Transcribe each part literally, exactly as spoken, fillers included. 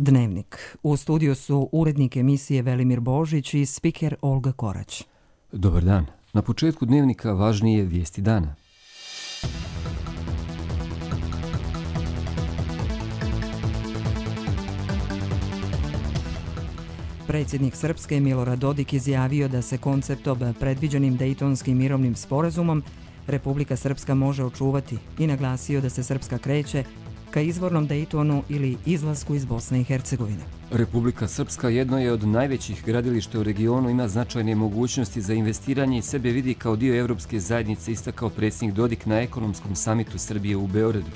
Dnevnik. U studiju su urednik emisije Velimir Božić i spiker Olga Korać. Dobar dan. Na početku Dnevnika važnije vijesti dana. Predsjednik Srpske Milorad Dodik izjavio da se konceptom predviđenim Dejtonskim mirovnim sporazumom Republika Srpska može očuvati i naglasio da se Srpska kreće ka izvornom Dejtonu ili izlasku iz Bosne i Hercegovine. Republika Srpska jedno je od najvećih gradilišta u regionu, ima značajne mogućnosti za investiranje i sebe vidi kao dio Evropske zajednice, istakao predsjednik Dodik na ekonomskom samitu Srbije u Beogradu.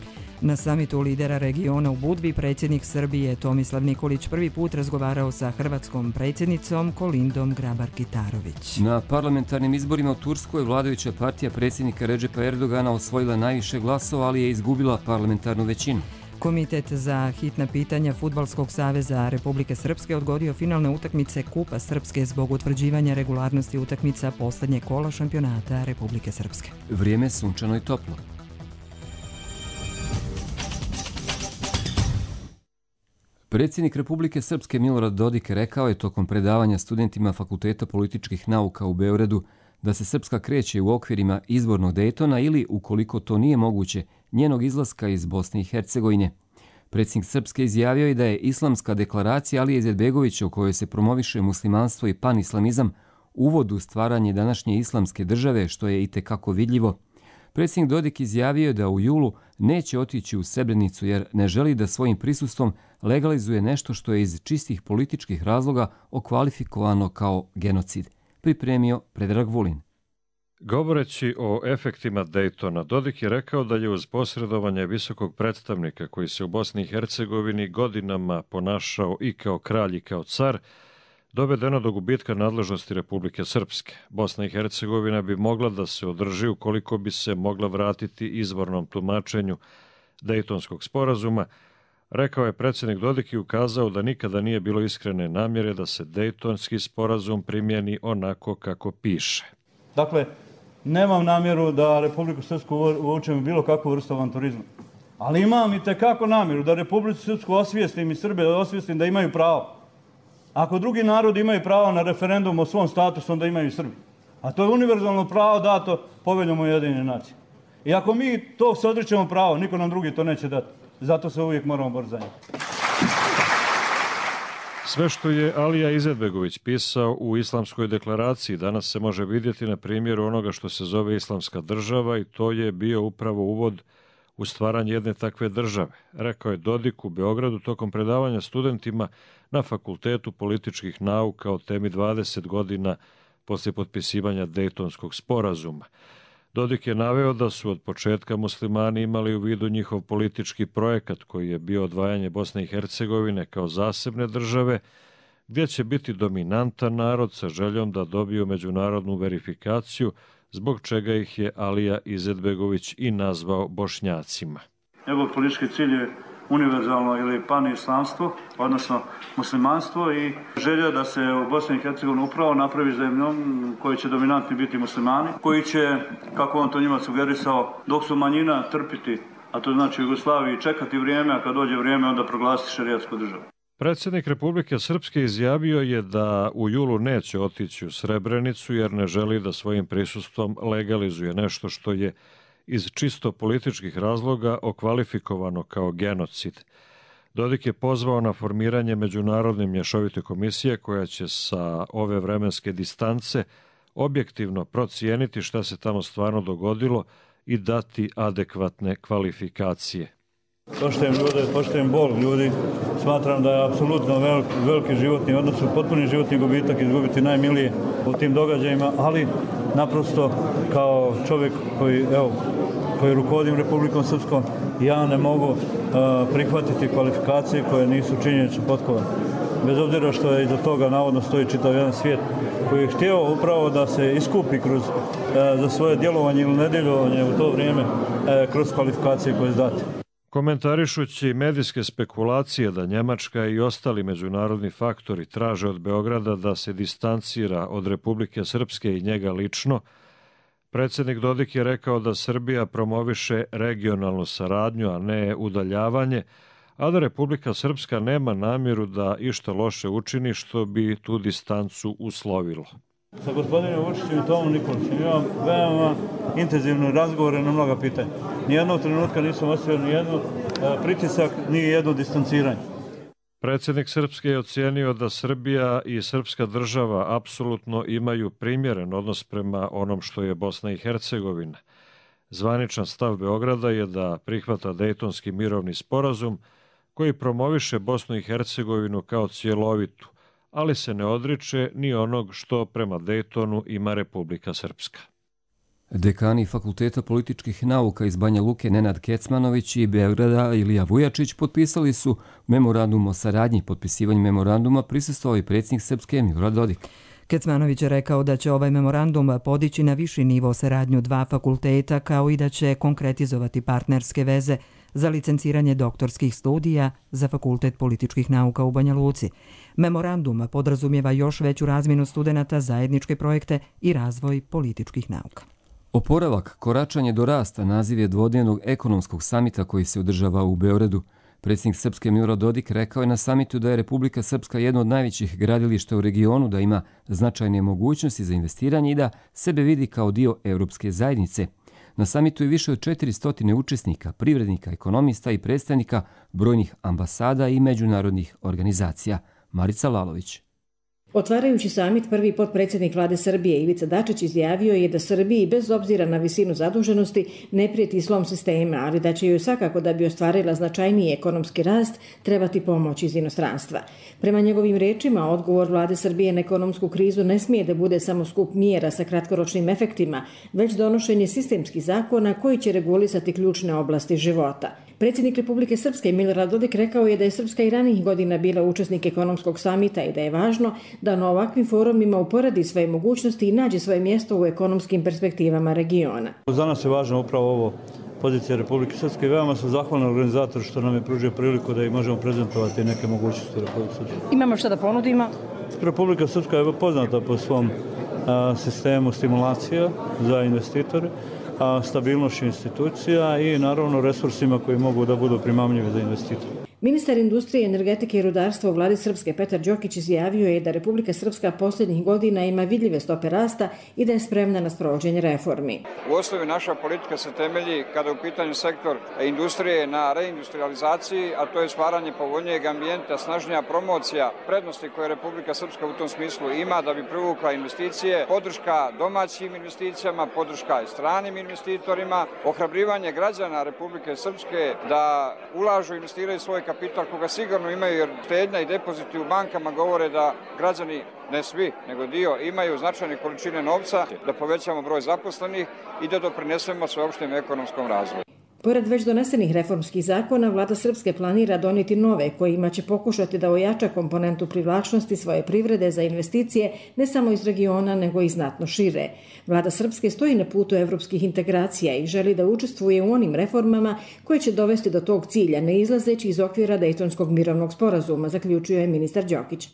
Na samitu lidera regiona u Budvi predsjednik Srbije Tomislav Nikolić prvi put razgovarao sa hrvatskom predsjednicom Kolindom Grabar-Kitarović. Na parlamentarnim izborima u Turskoj vladajuća partija predsjednika Redžepa Erdogana osvojila najviše glasova, ali je izgubila parlamentarnu većinu. Komitet za hitna pitanja Fudbalskog saveza Republike Srpske odgodio finalne utakmice Kupa Srpske zbog utvrđivanja regularnosti utakmica posljednje kola šampionata Republike Srpske. Vrijeme sunčano i toplo. Predsjednik Republike Srpske Milorad Dodik rekao je tokom predavanja studentima Fakulteta političkih nauka u Beogradu da se Srpska kreće u okvirima izbornog Dejtona ili, ukoliko to nije moguće, njenog izlaska iz Bosne i Hercegovine. Predsjednik Srpske izjavio je da je islamska deklaracija Alije Izetbegovića, u kojoj se promoviše muslimanstvo i panislamizam, uvod u stvaranje današnje islamske države, što je itekako vidljivo. Predsjednik Dodik izjavio je da u julu neće otići u Srebrenicu jer ne želi da svojim prisustvom legalizuje nešto što je iz čistih političkih razloga okvalifikovano kao genocid. Pripremio Predrag Vulin. Govoreći o efektima Dejtona, Dodik je rekao da je uz posredovanje visokog predstavnika koji se u Bosni i Hercegovini godinama ponašao i kao kralj i kao car, dovedeno do gubitka nadležnosti Republike Srpske. Bosna i Hercegovina bi mogla da se održi ukoliko bi se mogla vratiti izvornom tumačenju Dejtonskog sporazuma, rekao je predsjednik Dodik i ukazao da nikada nije bilo iskrene namjere da se Dejtonski sporazum primjeni onako kako piše. Dakle, nemam namjeru da Republiku Srpsku uvučem bilo kakvu vrstu avanturizma. Ali imam i tekako namjeru da Republiku Srpsku osvijestim i Srbe osvijestim da imaju pravo. Ako drugi narodi imaju pravo na referendum o svom statusu, onda imaju i Srbi. A to je univerzalno pravo dato Poveljom Ujedinjene nacije. I ako mi to se odričemo pravo, niko nam drugi to neće dati. Zato se uvijek moramo boriti za njih. Sve što je Alija Izetbegović pisao u Islamskoj deklaraciji danas se može vidjeti na primjeru onoga što se zove Islamska država i to je bio upravo uvod u stvaranje jedne takve države, rekao je Dodik u Beogradu tokom predavanja studentima na Fakultetu političkih nauka o temi dvadeset godina poslije potpisivanja Dejtonskog sporazuma. Dodik je naveo da su od početka muslimani imali u vidu njihov politički projekat koji je bio odvajanje Bosne i Hercegovine kao zasebne države, gdje će biti dominantan narod sa željom da dobiju međunarodnu verifikaciju, zbog čega ih je Alija Izetbegović i nazvao Bošnjacima. Njegov politički cilj je univerzalno ili panislamstvo, odnosno muslimanstvo i želja da se u Bosni i Hercegovini upravo napravi zemljom koji će dominantni biti muslimani, koji će, kako on to njima sugerisao, dok su manjina trpiti, a to znači u Jugoslaviji čekati vrijeme, a kad dođe vrijeme onda proglasiti šerijatsku državu. Predsjednik Republike Srpske izjavio je da u julu neće otići u Srebrenicu jer ne želi da svojim prisustvom legalizuje nešto što je iz čisto političkih razloga okvalifikovano kao genocid. Dodik je pozvao na formiranje međunarodne mješovite komisije koja će sa ove vremenske distance objektivno procijeniti šta se tamo stvarno dogodilo i dati adekvatne kvalifikacije. Poštujem ljude, poštujem bol ljudi. Smatram da je apsolutno velik, veliki životni odnos, potpuni životni gubitak izgubiti najmilije u tim događajima, ali naprosto kao čovjek koji, evo, koji rukovodim Republikom Srpskom, ja ne mogu uh, prihvatiti kvalifikacije koje nisu činjenično potkovane. Bez obzira što je iza toga navodno stoji čitav jedan svijet koji je htio upravo da se iskupi kroz, uh, za svoje djelovanje ili nedjelovanje u to vrijeme uh, kroz kvalifikacije koje je date. Komentarišući medijske spekulacije da Njemačka i ostali međunarodni faktori traže od Beograda da se distancira od Republike Srpske i njega lično, predsjednik Dodik je rekao da Srbija promoviše regionalnu saradnju, a ne udaljavanje, a da Republika Srpska nema namjeru da išta loše učini što bi tu distancu uslovilo. Sa gospodinom Vučićem i Tomom Nikolićem imam veoma intenzivne razgovore na mnoga pitanja. Nijednog trenutka nisam osjetio nijednu pritisak, ni jedno distanciranje. Predsjednik Srpske je ocijenio da Srbija i srpska država apsolutno imaju primjeren odnos prema onom što je Bosna i Hercegovina. Zvaničan stav Beograda je da prihvata Dejtonski mirovni sporazum koji promoviše Bosnu i Hercegovinu kao cjelovitu, ali se ne odriče ni onog što prema Dejtonu ima Republika Srpska. Dekani Fakulteta političkih nauka iz Banja Luke Nenad Kecmanović i Beograda Ilija Vujačić potpisali su memorandum o saradnji. Potpisivanju memoranduma prisustvovao i predsjednik Srpske Milorad Dodik. Kecmanović je rekao da će ovaj memorandum podići na viši nivo saradnju dva fakulteta, kao i da će konkretizovati partnerske veze za licenciranje doktorskih studija za Fakultet političkih nauka u Banja Luci. Memorandum podrazumijeva još veću razmjenu studenata, zajedničke projekte i razvoj političkih nauka. Oporavak, koračanje do rasta naziv je dvodnevnog ekonomskog samita koji se održava u Beogradu. Predsjednik Srpske Milorad Dodik rekao je na samitu da je Republika Srpska jedno od najvećih gradilišta u regionu, da ima značajne mogućnosti za investiranje i da sebe vidi kao dio Europske zajednice. Na samitu je više od četiristo učesnika, privrednika, ekonomista i predstavnika brojnih ambasada i međunarodnih organizacija. Marica Lalović. Otvarajući samit, prvi potpredsjednik vlade Srbije Ivica Dačić izjavio je da Srbiji bez obzira na visinu zaduženosti ne prijeti slom sistema, ali da će joj svakako da bi ostvarila značajniji ekonomski rast trebati pomoć iz inostranstva. Prema njegovim rečima, odgovor vlade Srbije na ekonomsku krizu ne smije da bude samo skup mjera sa kratkoročnim efektima, već donošenje sistemskih zakona koji će regulisati ključne oblasti života. Predsjednik Republike Srpske Milorad Dodik rekao je da je Srpska i ranijih godina bila učesnik ekonomskog samita i da je važno da na ovakvim forumima uporadi svoje mogućnosti i nađe svoje mjesto u ekonomskim perspektivama regiona. Za nas je važno upravo ovo pozicija Republike Srpske i veoma sam zahvalan organizatoru što nam je pružio priliku da i možemo prezentovati neke mogućnosti Republike Srpske. Imamo što da ponudimo? Republika Srpska je poznata po svom a, sistemu stimulacija za investitore, a stabilnošću institucija i naravno resursima koji mogu da budu primamljivi za investitore. Ministar industrije, energetike i rudarstva u vladi Srpske Petar Đokić izjavio je da Republika Srpska posljednjih godina ima vidljive stope rasta i da je spremna na sprovođenje reformi. U osnovi naša politika se temelji, kada je u pitanju sektor industrije, na reindustrializaciji, a to je stvaranje povoljnijeg ambijenta, snažnija promocija prednosti koje Republika Srpska u tom smislu ima da bi privukla investicije, podrška domaćim investicijama, podrška i stranim investitorima, ohrabrivanje građana Republike Srpske da ulažu i investiraju svoj kapital koga sigurno imaju, jer štednja i depoziti u bankama govore da građani, ne svi, nego dio, imaju značajne količine novca, da povećamo broj zaposlenih i da doprinesemo sveopštem ekonomskom razvoju. Pored već donesenih reformskih zakona, vlada Srpske planira donijeti nove kojima će pokušati da ojača komponentu privlačnosti svoje privrede za investicije ne samo iz regiona nego i znatno šire. Vlada Srpske stoji na putu evropskih integracija i želi da učestvuje u onim reformama koje će dovesti do tog cilja, ne izlazeći iz okvira Dejtonskog mirovnog sporazuma, zaključio je ministar Đokić.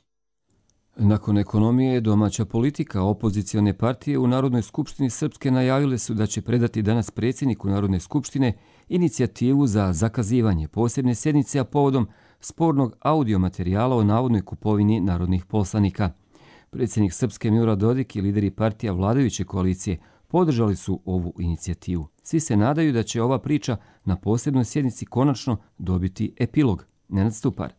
Nakon ekonomije, domaća politika, opozicione partije u Narodnoj skupštini Srpske najavile su da će predati danas predsjedniku Narodne skupštine inicijativu za zakazivanje posebne sjednice, a povodom spornog audio materijala o navodnoj kupovini narodnih poslanika. Predsjednik Srpske Milorad Dodik i lideri partija vladajuće koalicije podržali su ovu inicijativu. Svi se nadaju da će ova priča na posebnoj sjednici konačno dobiti epilog. Nenad Stupar.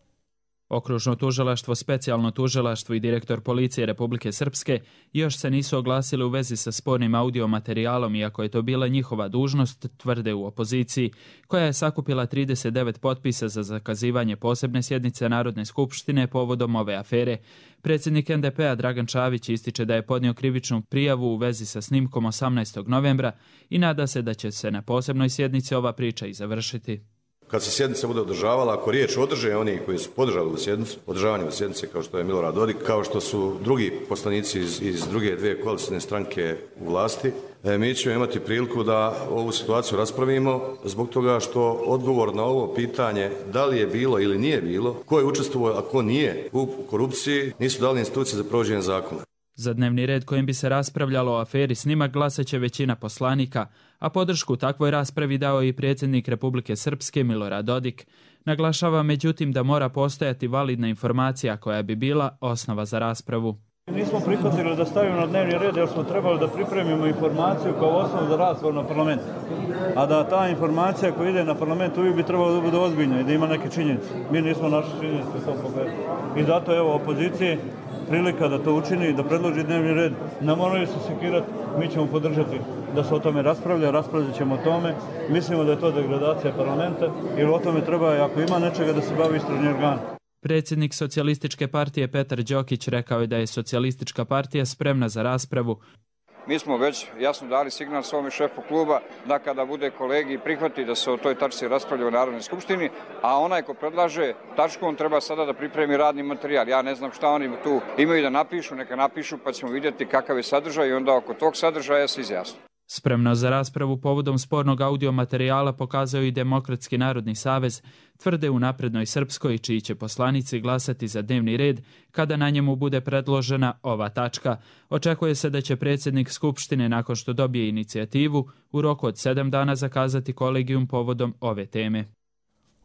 Okružno tužilaštvo, specijalno tužilaštvo i direktor policije Republike Srpske još se nisu oglasili u vezi sa spornim audio materijalom, iako je to bila njihova dužnost, tvrde u opoziciji, koja je sakupila trideset devet potpisa za zakazivanje posebne sjednice Narodne skupštine povodom ove afere. Predsjednik en de pe a Dragan Čavić ističe da je podnio krivičnu prijavu u vezi sa snimkom osamnaestog novembra i nada se da će se na posebnoj sjednici ova priča i završiti. Kad se sjednica bude održavala, ako riječ održe oni koji su podržali u sjednicu, održavanje u sjednice kao što je Milorad Dodik, kao što su drugi poslanici iz, iz druge dvije koalicijne stranke u vlasti, e, mi ćemo imati priliku da ovu situaciju raspravimo zbog toga što odgovor na ovo pitanje da li je bilo ili nije bilo, ko je učestvovao, a ko nije u korupciji, nisu dali institucije za provođenje zakona. Za dnevni red kojim bi se raspravljalo o aferi snimak glasaće većina poslanika, a podršku takvoj raspravi dao i predsjednik Republike Srpske Milorad Dodik. Naglašava međutim da mora postojati validna informacija koja bi bila osnova za raspravu. Nismo prihvatili da stavimo na dnevni red jer smo trebali da pripremimo informaciju kao osnovu za raspravu na parlamentu. A da ta informacija koja ide na parlament uvijek bi trebala da bude ozbiljna i da ima neke činjenice. Mi nismo našli činjenice u tom pogledu. I zato evo opoziciji prilika da to učini i da predloži dnevni red. Ne moraju se sekirati, mi ćemo podržati da se o tome raspravlja, raspravljat ćemo o tome. Mislimo da je to degradacija parlamenta jer o tome treba, ako ima nečega, da se bavi istražni organ. Predsjednik Socijalističke partije Petar Đokić rekao je da je Socijalistička partija spremna za raspravu. Mi smo već jasno dali signal svome šefu kluba da kada bude kolegi prihvati da se o toj tačci raspravlja u Narodnoj skupštini, a onaj ko predlaže tačku, on treba sada da pripremi radni materijal. Ja ne znam šta oni tu imaju da napišu, neka napišu pa ćemo vidjeti kakav je sadržaj i onda oko tog sadržaja se izjasni. Spremno za raspravu povodom spornog audio materijala pokazao i Demokratski narodni savez, tvrde u Naprednoj Srpskoj, čiji će poslanici glasati za dnevni red kada na njemu bude predložena ova tačka. Očekuje se da će predsjednik Skupštine, nakon što dobije inicijativu, u roku od sedam dana zakazati kolegijum povodom ove teme.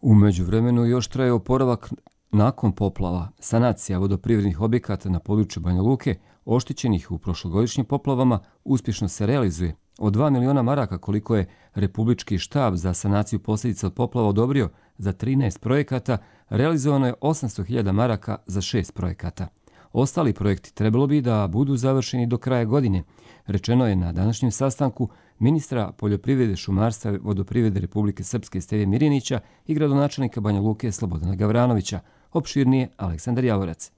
U međuvremenu još traje oporavak nakon poplava. Sanacija vodoprivrednih objekata na području Banja Luke, oštećenih u prošlogodišnjim poplavama, uspješno se realizuje. Od dva miliona maraka koliko je Republički štab za sanaciju posljedica od poplava odobrio za trinaest projekata, realizovano je osamsto hiljada maraka za šest projekata. Ostali projekti trebalo bi da budu završeni do kraja godine, rečeno je na današnjem sastanku ministra poljoprivrede, šumarstva i vodoprivrede Republike Srpske Steve Mirinića i gradonačelnika Banja Luke Slobodana Gavranovića. Opširnije Aleksandar Javorac.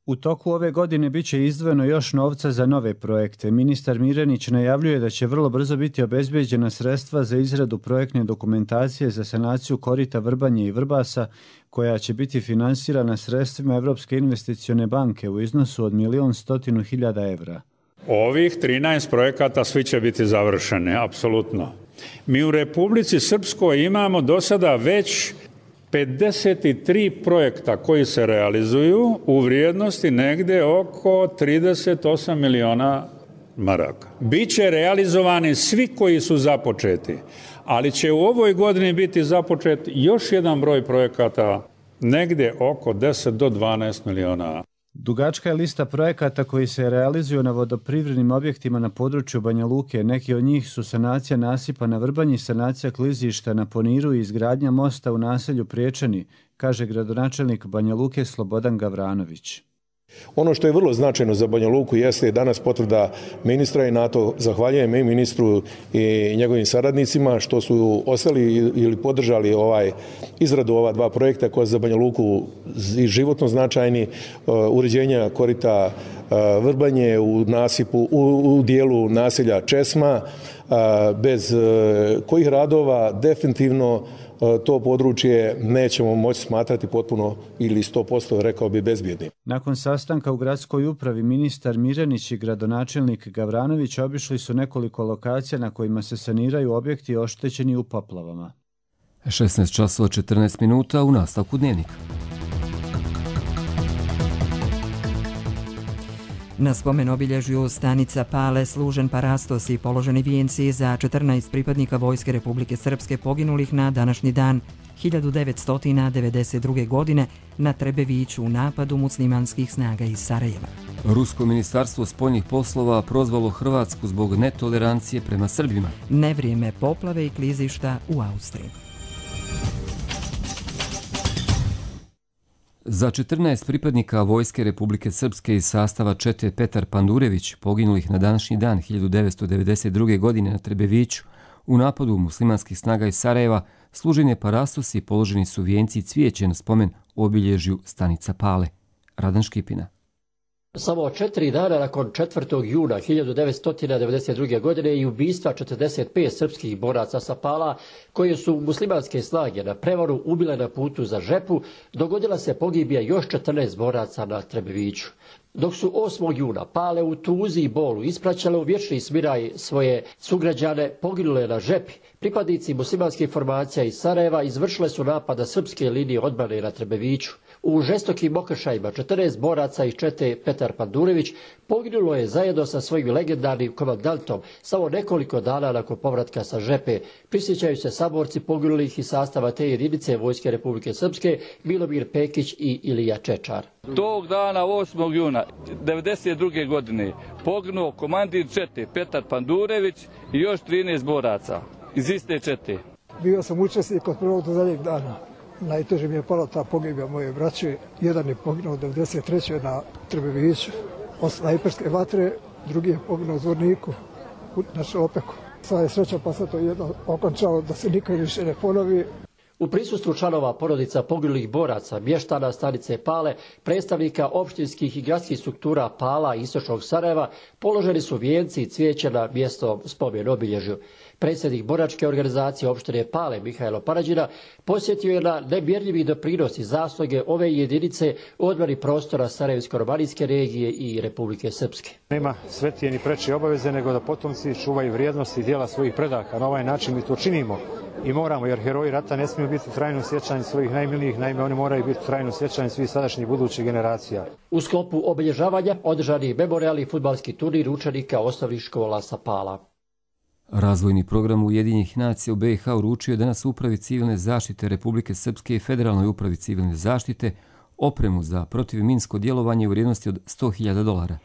U toku ove godine biće izdvojeno još novca za nove projekte. Ministar Mirenić najavljuje da će vrlo brzo biti obezbeđena sredstva za izradu projektne dokumentacije za sanaciju korita Vrbanje i Vrbasa, koja će biti finansirana sredstvima Evropske investicione banke u iznosu od milion stotinu hiljada evra. Ovih trinaest projekata svi će biti završene, apsolutno. Mi u Republici Srpskoj imamo do sada već pedeset tri projekta koji se realizuju u vrijednosti negde oko trideset osam miliona maraka. Biće realizovani svi koji su započeti, ali će u ovoj godini biti započet još jedan broj projekata negde oko deset do dvanaest miliona. Dugačka je lista projekata koji se realizuju na vodoprivrednim objektima na području Banja Luke. Neki od njih su sanacija nasipa na Vrbanji, sanacija klizišta na Poniru i izgradnja mosta u naselju Priječani, kaže gradonačelnik Banja Luke Slobodan Gavranović. Ono što je vrlo značajno za Banja Luku jeste danas potvrda ministra i na to zahvaljujem i ministru i njegovim saradnicima što su ostali ili podržali ovaj izradu ova dva projekta koja za Banja Luku i životno značajni, uređenja korita Vrbanje u nasipu u, u dijelu naselja Česma, bez kojih radova definitivno to područje nećemo moći smatrati potpuno ili sto posto rekao bi bezbjednim. Nakon sastanka u gradskoj upravi ministar Mirenić i gradonačelnik Gavranović obišli su nekoliko lokacija na kojima se saniraju objekti oštećeni u poplavama. šesnaest časova četrnaest minuta u nastavku dnevnika. Na spomen obilježju stanica Pale služen parastos i položeni vijenci za četrnaest pripadnika Vojske Republike Srpske poginulih na današnji dan hiljadu devetsto devedeset druge. godine na Trebeviću u napadu muslimanskih snaga iz Sarajeva. Rusko ministarstvo spoljnih poslova prozvalo Hrvatsku zbog netolerancije prema Srbima. Nevrijeme poplave i klizišta u Austriji. Za četrnaest pripadnika Vojske Republike Srpske iz sastava čete Petar Pandurević, poginulih na današnji dan hiljadu devetsto devedeset druge. godine na Trebeviću, u napadu muslimanskih snaga iz Sarajeva, služen je parastos i položeni su vijenci i cvijeće na spomen obilježju stanica Pale. Radan Škipina. Samo četiri dana nakon četvrtog juna hiljadu devetsto devedeset druge. godine i ubistva četrdeset pet srpskih boraca sa Pala, koje su muslimanske snage na prevaru ubile na putu za Žepu, dogodila se pogibija još četrnaest boraca na Trebeviću. Dok su osmog juna Pale u tuzi i bolu ispraćale u vječni smiraj svoje sugrađane poginule na Žepi, pripadnici muslimanskih formacija iz Sarajeva izvršile su napad na srpske linije odbrane na Trebeviću. U žestokim okršajima četrnaest boraca iz čete Petar Pandurević poginulo je zajedno sa svojim legendarnim komandantom samo nekoliko dana nakon povratka sa žepe. Prisjećaju se saborci poginulih iz sastava te jedinice Vojske Republike Srpske Milomir Pekić i Ilija Čečar. Tog dana osmog juna devedeset druge godine poginuo komandir čete Petar Pandurević i još trinaest boraca iz iste čete. Bio sam učesnik od prvog do zadnjeg dana. Najteže mi je pala ta pogibija moje braće. Jedan je poginuo devedeset treće na Trbeviću od snajperske vatre, drugi je poginuo u Zvorniku na Šopeku. Sva je sreća pa se to jedno okončalo da se nikad više ne ponovi. U prisustvu članova porodica poginulih boraca, mještana stanice Pale, predstavnika opštinskih i gradskih struktura Pala i istočnog Sarajeva, položeni su vijenci i cvijeće na mjesto spomen obilježju. Predsjednik boračke organizacije opštine Pale, Mihajlo Parađina, posjetio je na nemjerljivi doprinos i zasluge ove jedinice u odbrani prostora Sarajevsko-romanijske regije i Republike Srpske. Nema svetije ni preče obaveze nego da potomci čuvaju vrijednosti i djela svojih predaka. Na ovaj način mi to činimo i moramo, jer heroji rata ne smiju biti trajno sjećanje svojih najmilijih, naime oni moraju biti trajno sjećanje svih sadašnjih budućih generacija. U sklopu obilježavanja održani memorijalni fudbalski turnir učenika osnovnih škola sa Pala. Razvojni program Ujedinjenih nacija u B i H uručio je danas Upravi civilne zaštite Republike Srpske i Federalnoj upravi civilne zaštite opremu za protivminsko djelovanje u vrijednosti od sto hiljada dolara.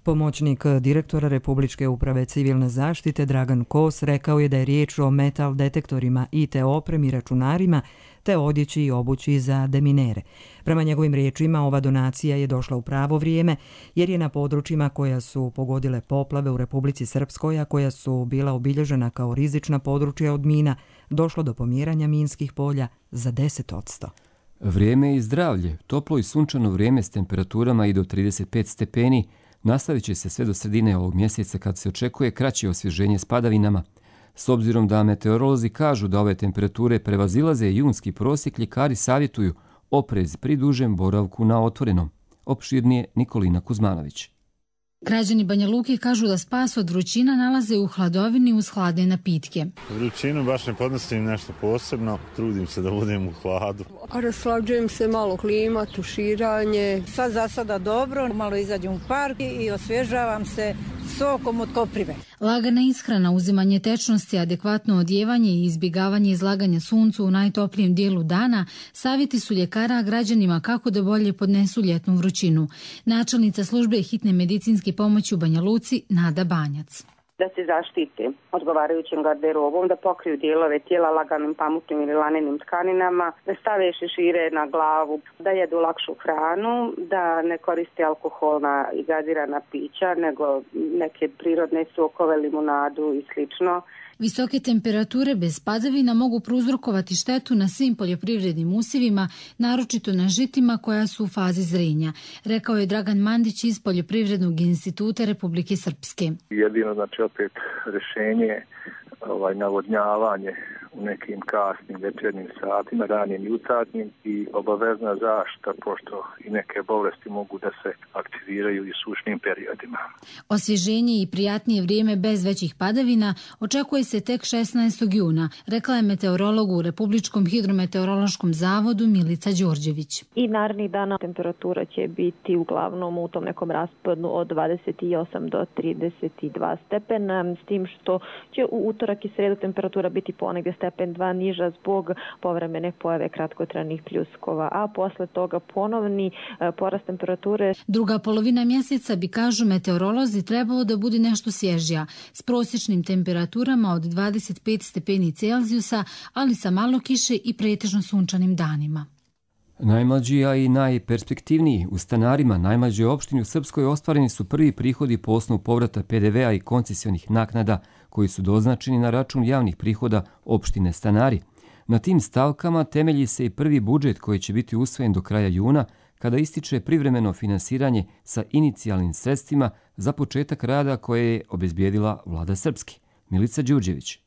Pomoćnik direktora Republičke uprave civilne zaštite Dragan Kos rekao je da je riječ o metal detektorima, I T opremi, računarima te odjeći i obući za deminere. Prema njegovim riječima, ova donacija je došla u pravo vrijeme jer je na područjima koja su pogodile poplave u Republici Srpskoj, a koja su bila obilježena kao rizična područja od mina, došlo do pomjeranja minskih polja za deset odsto. Vrijeme i zdravlje, toplo i sunčano vrijeme s temperaturama i do trideset pet stepeni, nastavit će se sve do sredine ovog mjeseca kad se očekuje kraće osvježenje s padavinama. S obzirom da meteorolozi kažu da ove temperature prevazilaze junski prosjek, ljekari savjetuju oprez pri dužem boravku na otvorenom. Opširnije Nikolina Kuzmanović. Građani Banja Luke kažu da spas od vrućina nalaze u hladovini uz hladne napitke. Vrućinu baš ne podnosim nešto posebno, trudim se da budem u hladu. Raslađujem se, malo klima, tuširanje. Sad za sada dobro, malo izađem u park i osvježavam se sokom od koprive. Lagana ishrana, uzimanje tečnosti, adekvatno odjevanje i izbjegavanje izlaganja suncu u najtoplijem dijelu dana savjeti su ljekara građanima kako da bolje podnesu ljetnu vrućinu. Načelnica službe hitne medicinske pomoći u Banja Luci Nada Banjac. Da se zaštite odgovarajućim garderobom, da pokriju dijelove tijela laganim pamutnim ili lanenim tkaninama, da stave šešire na glavu, da jedu lakšu hranu, da ne koriste alkoholna i gazirana pića, nego neke prirodne sokove, limunadu i slično. Visoke temperature bez padavina mogu prouzrokovati štetu na svim poljoprivrednim usjevima, naročito na žitima koja su u fazi zrenja, rekao je Dragan Mandić iz Poljoprivrednog instituta Republike Srpske. Jedino, znači, opet rješenje ovaj, navodnjavanje u nekim kasnim večernjim satima, ranim jutarnjim i obavezna zaštita, pošto i neke bolesti mogu da se aktiviraju i sušnim periodima. Osvježenje i prijatnije vrijeme bez većih padavina očekuje se tek šesnaestog juna, rekla je meteorolog u Republičkom hidrometeorološkom zavodu Milica Đorđević. I narednih dana temperatura će biti uglavnom u tom nekom rasponu od dvadeset osam do trideset dva stepena, s tim što će u utorak i sredu temperatura biti ponegdje stepen dva niža zbog povremene pojave kratkotrajnih pljuskova, a posle toga ponovni porast temperature. Druga polovina mjeseca bi, kažu meteorolozi, trebalo da bude nešto svježija, s prosječnim temperaturama od dvadeset pet stepeni Celzijusa, ali sa malo kiše i pretežno sunčanim danima. Najmlađi, a i najperspektivniji u stanarima najmlađoj opštini u Srpskoj ostvareni su prvi prihodi po osnovu povrata P D V-a i koncesijonih naknada koji su doznačeni na račun javnih prihoda opštine Stanari. Na tim stavkama temelji se i prvi budžet koji će biti usvojen do kraja juna, kada ističe privremeno finansiranje sa inicijalnim sredstvima za početak rada koje je obezbijedila vlada Srpske. Milica Đurđević.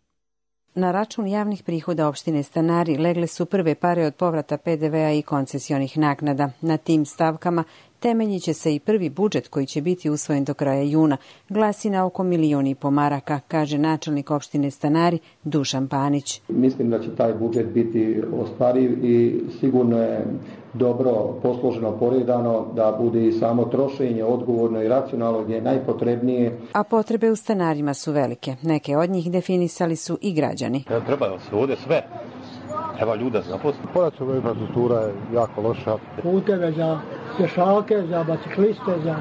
Na račun javnih prihoda opštine Stanari legle su prve pare od povrata P D V-a i koncesijonih naknada. Na tim stavkama temeljit će se i prvi budžet koji će biti usvojen do kraja juna. Glasi na oko milion i po maraka, kaže načelnik opštine Stanari Dušan Panić. Mislim da će taj budžet biti ostvariv i sigurno je dobro posloženo, poredano, da bude i samo trošenje odgovorno i racionalno gdje je najpotrebnije. A potrebe u stanarima su velike. Neke od njih definisali su i građani. Ja, treba da se ovdje sve. Treba ljuda zaposliti. Pojačana infrastruktura je jako loša. Puteve za pješake, za bicikliste, za...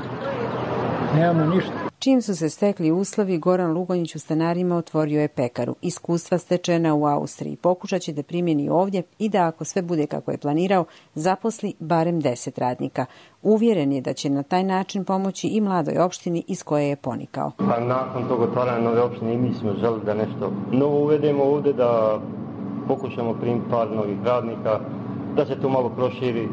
nemamo ništa. Čim su se stekli uslovi, Goran Lugonjić u stanarima otvorio je pekaru. Iskustva stečena u Austriji. Pokušat će da primjeni ovdje i da, ako sve bude kako je planirao, zaposli barem deset radnika. Uvjeren je da će na taj način pomoći i mladoj opštini iz koje je ponikao. Pa nakon tog otvaranja nove opštine mi smo želi da nešto novo uvedemo ovdje, da pokušamo primiti par novih radnika, da se to malo proširi,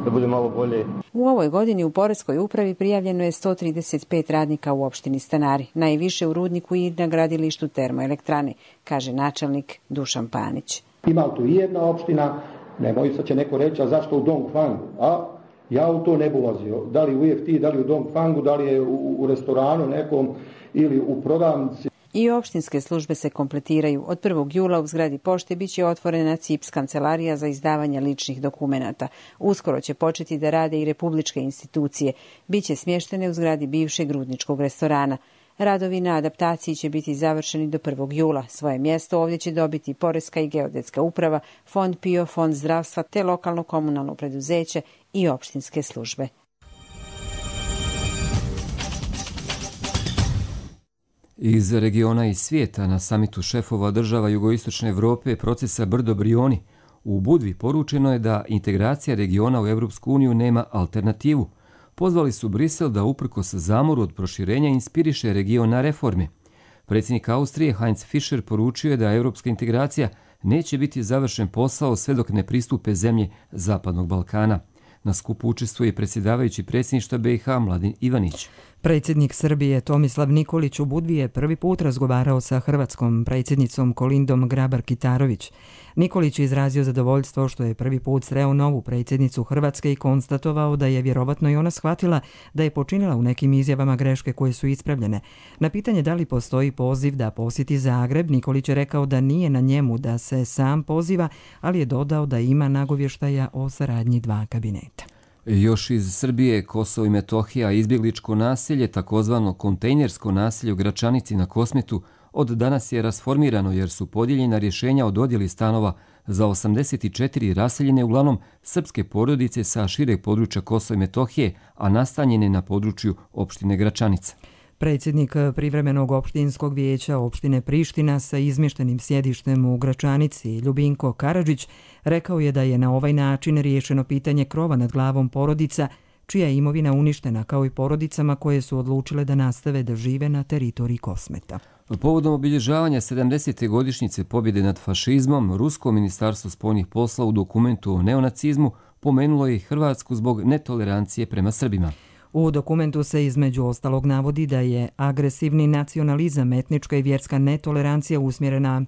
da bude malo bolje. U ovoj godini u Poreskoj upravi prijavljeno je sto trideset pet radnika u opštini Stanari, najviše u rudniku i na gradilištu termoelektrane, kaže načelnik Dušan Panić. Ima tu i jedna opština, nemoj sad će neko reći, a zašto u Dongfangu? A ja u to ne bi ulazio. Da li u E F T, da li u Dongfangu, da li je u, u restoranu nekom ili u prodavnici. I opštinske službe se kompletiraju. Od prvog jula u zgradi pošte biće otvorena C I P S kancelarija za izdavanje ličnih dokumenata. Uskoro će početi da rade i republičke institucije. Biće smještene u zgradi bivšeg rudničkog restorana. Radovi na adaptaciji će biti završeni do prvog jula. Svoje mjesto ovdje će dobiti Poreska i geodetska uprava, Fond P I O, Fond zdravstva te lokalno komunalno preduzeće i opštinske službe. Iz regiona i svijeta na samitu šefova država jugoistočne Evrope procesa Brdo Brioni u Budvi poručeno je da integracija regiona u Europsku uniju nema alternativu. Pozvali su Brisel da uprkos zamoru od proširenja inspiriše region na reforme. Predsjednik Austrije Heinz Fischer poručio je da europska integracija neće biti završen posao sve dok ne pristupe zemlje Zapadnog Balkana. Na skupu učestvuje predsjedavajući predsjedništva B i H Mladen Ivanić. Predsjednik Srbije Tomislav Nikolić u Budvi je prvi put razgovarao sa hrvatskom predsjednicom Kolindom Grabar-Kitarović. Nikolić je izrazio zadovoljstvo što je prvi put sreo novu predsjednicu Hrvatske i konstatovao da je vjerovatno i ona shvatila da je počinila u nekim izjavama greške koje su ispravljene. Na pitanje da li postoji poziv da posjeti Zagreb, Nikolić je rekao da nije na njemu da se sam poziva, ali je dodao da ima nagovještaja o saradnji dva kabineta. Još iz Srbije, Kosovo i Metohija, izbjegličko naselje, takozvano kontejnersko naselje u Gračanici na Kosmetu, od danas je rasformirano jer su podijeljena rješenja o dodjeli stanova za osamdeset četiri raseljene, uglavnom srpske porodice sa šireg područja Kosova i Metohije, a nastanjene na području opštine Gračanica. Predsjednik privremenog opštinskog vijeća opštine Priština sa izmještenim sjedištem u Gračanici, Ljubinko Karadžić, rekao je da je na ovaj način riješeno pitanje krova nad glavom porodica, čija je imovina uništena, kao i porodicama koje su odlučile da nastave da žive na teritoriji Kosmeta. Povodom obilježavanja sedamdesete godišnjice pobjede nad fašizmom, Rusko ministarstvo spoljnih posla u dokumentu o neonacizmu pomenulo je i Hrvatsku zbog netolerancije prema Srbima. U dokumentu se između ostalog navodi da je agresivni nacionalizam, etnička i vjerska netolerancija usmjerena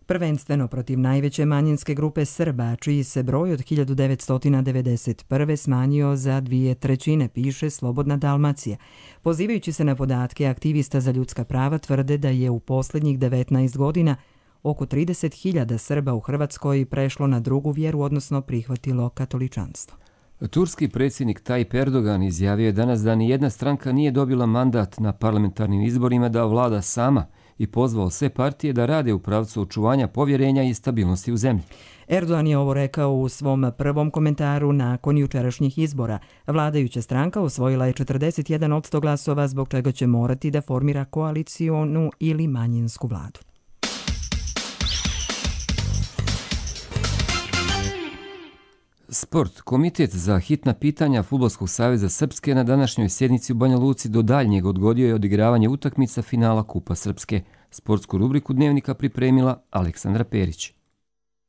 prvenstveno protiv najveće manjinske grupe Srba, čiji se broj od hiljadu devetsto devedeset prve smanjio za dvije trećine, piše Slobodna Dalmacija. Pozivajući se na podatke aktivista za ljudska prava, tvrde da je u posljednjih devetnaest godina oko trideset hiljada Srba u Hrvatskoj prešlo na drugu vjeru, odnosno prihvatilo katoličanstvo. Turski predsjednik Tayyip Erdogan izjavio je danas da ni jedna stranka nije dobila mandat na parlamentarnim izborima da vlada sama i pozvao sve partije da rade u pravcu očuvanja povjerenja i stabilnosti u zemlji. Erdogan je ovo rekao u svom prvom komentaru nakon jučerašnjih izbora. Vladajuća stranka osvojila je četrdeset jedan posto glasova, zbog čega će morati da formira koalicionu ili manjinsku vladu. Sport. Komitet za hitna pitanja Fudbalskog saveza Srpske na današnjoj sjednici u Banja Luci do daljnjeg odgodio je odigravanje utakmica finala Kupa Srpske. Sportsku rubriku Dnevnika pripremila Aleksandra Perić.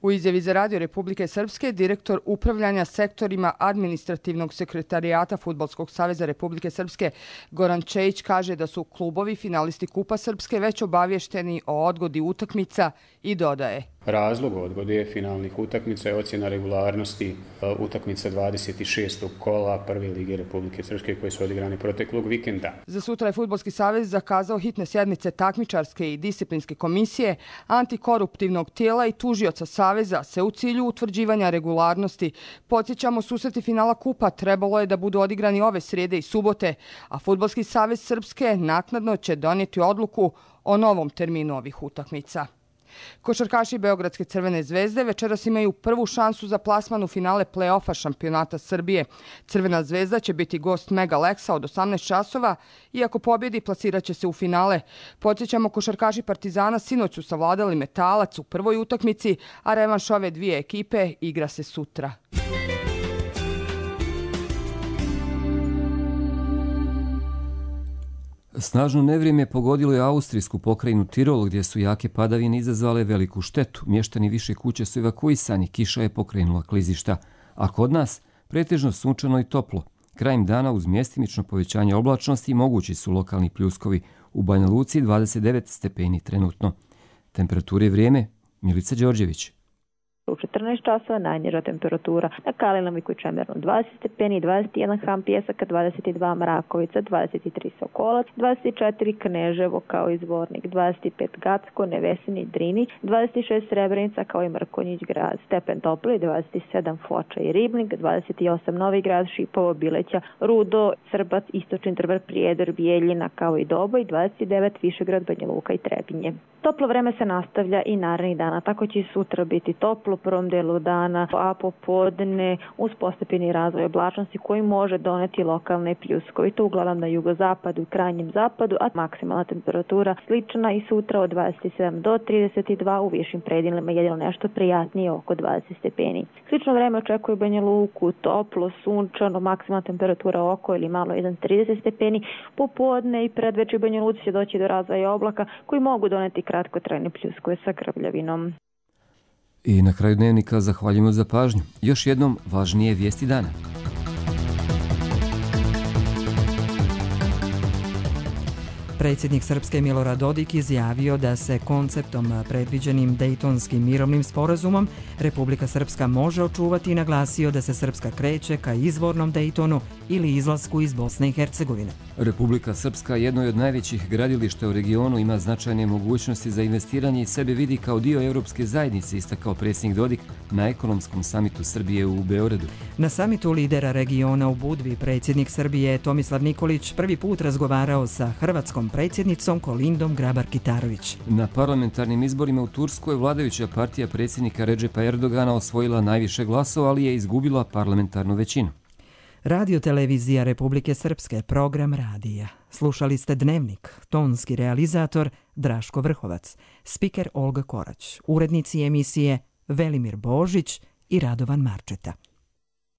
U izjavi za Radio Republike Srpske, direktor upravljanja sektorima administrativnog sekretarijata Fudbalskog saveza Republike Srpske Goran Čejić kaže da su klubovi finalisti Kupa Srpske već obavješteni o odgodi utakmica i dodaje. Razlog odgode finalnih utakmica je ocjena regularnosti utakmica dvadeset šestog kola Prve lige Republike Srpske koje su odigrane proteklog vikenda. Za sutra je Fudbalski savez zakazao hitne sjednice takmičarske i disciplinske komisije, antikoruptivnog tijela i tužioca saveza se u cilju utvrđivanja regularnosti. Podsjećamo, susreti finala kupa trebalo je da budu odigrani ove srijede i subote, a Fudbalski savez Srpske naknadno će donijeti odluku o novom terminu ovih utakmica. Košarkaši Beogradske Crvene zvezde večeras imaju prvu šansu za plasman u finale play-offa šampionata Srbije. Crvena zvezda će biti gost Mega Lexa od osamnaest časova i ako pobjedi plasirat će se u finale. Podsjećamo, košarkaši Partizana sinoć su savladali Metalac u prvoj utakmici, a revanš ove dvije ekipe igra se sutra. Snažno nevrijeme pogodilo je austrijsku pokrajinu Tirol, gdje su jake padavine izazvale veliku štetu. Mještani više kuće su evakuisani, kiša je pokrenula klizišta. A kod nas pretežno sunčano i toplo. Krajem dana uz mjestimično povećanje oblačnosti mogući su lokalni pljuskovi. U Banja Luci dvadeset devet stepeni trenutno. Temperature i vrijeme, Milica Đorđević. U četrnaest časova najniža temperatura na Kalinamiku i Čemernu dvadeset stepeni, dvadeset jedan Ham Pjesaka, dvadeset dva Mrakovica, dvadeset tri Sokolac, dvadeset četiri Kneževo kao i Zvornik, dvadeset pet Gacko, Nevesini, Drini, dvadeset šest Srebrenica kao i Mrkonjić grad, stepen topli, dvadeset sedam Foča i Ribnik, dvadeset osam Novi grad, Šipovo, Bileća, Rudo, Srbac, Istočni Trbar, Prijedor, Bijeljina kao i Doboj, dvadeset devet Višegrad, Banja Luka i Trebinje. Toplo vreme se nastavlja i narednih dana, tako će i sutra biti toplo u prvom delu dana, a popodne uz postepeni razvoj oblačnosti koji može doneti lokalne pljuskovi. To uglavnom na jugozapadu i krajnjem zapadu, a maksimalna temperatura slična i sutra od dvadeset sedam do trideset dva, u višim predjelima jedino nešto prijatnije oko dvadeset stepeni. Slično vreme očekuje Banja Luku, toplo, sunčano, maksimalna temperatura oko ili malo iznad trideset stepeni. Popodne i predveče Banja Luci će doći do razvoja oblaka koji mogu doneti kratkotrajne pljuskove sa grmljavinom. I na kraju dnevnika zahvaljujemo za pažnju. Još jednom važnije vijesti dana. Predsjednik Srpske Milorad Dodik izjavio da se konceptom predviđenim Dejtonskim mirovnim sporazumom Republika Srpska može očuvati i naglasio da se Srpska kreće ka izvornom Dejtonu ili izlasku iz Bosne i Hercegovine. Republika Srpska, jedno od najvećih gradilišta u regionu, ima značajne mogućnosti za investiranje i sebe vidi kao dio Europske zajednice, istakao predsjednik Dodik na ekonomskom samitu Srbije u Beogradu. Na samitu lidera regiona u Budvi predsjednik Srbije Tomislav Nikolić prvi put razgovarao sa hrvatskom predsjednicom Kolindom Grabar-Kitarović. Na parlamentarnim izborima u Turskoj vladajuća partija predsjednika Redžepa Erdogana osvojila najviše glasova, ali je izgubila parlamentarnu većinu. Radio televizija Republike Srpske, program radija. Slušali ste Dnevnik, tonski realizator Draško Vrhovac, spiker Olga Korać, urednici emisije Velimir Božić i Radovan Marčeta.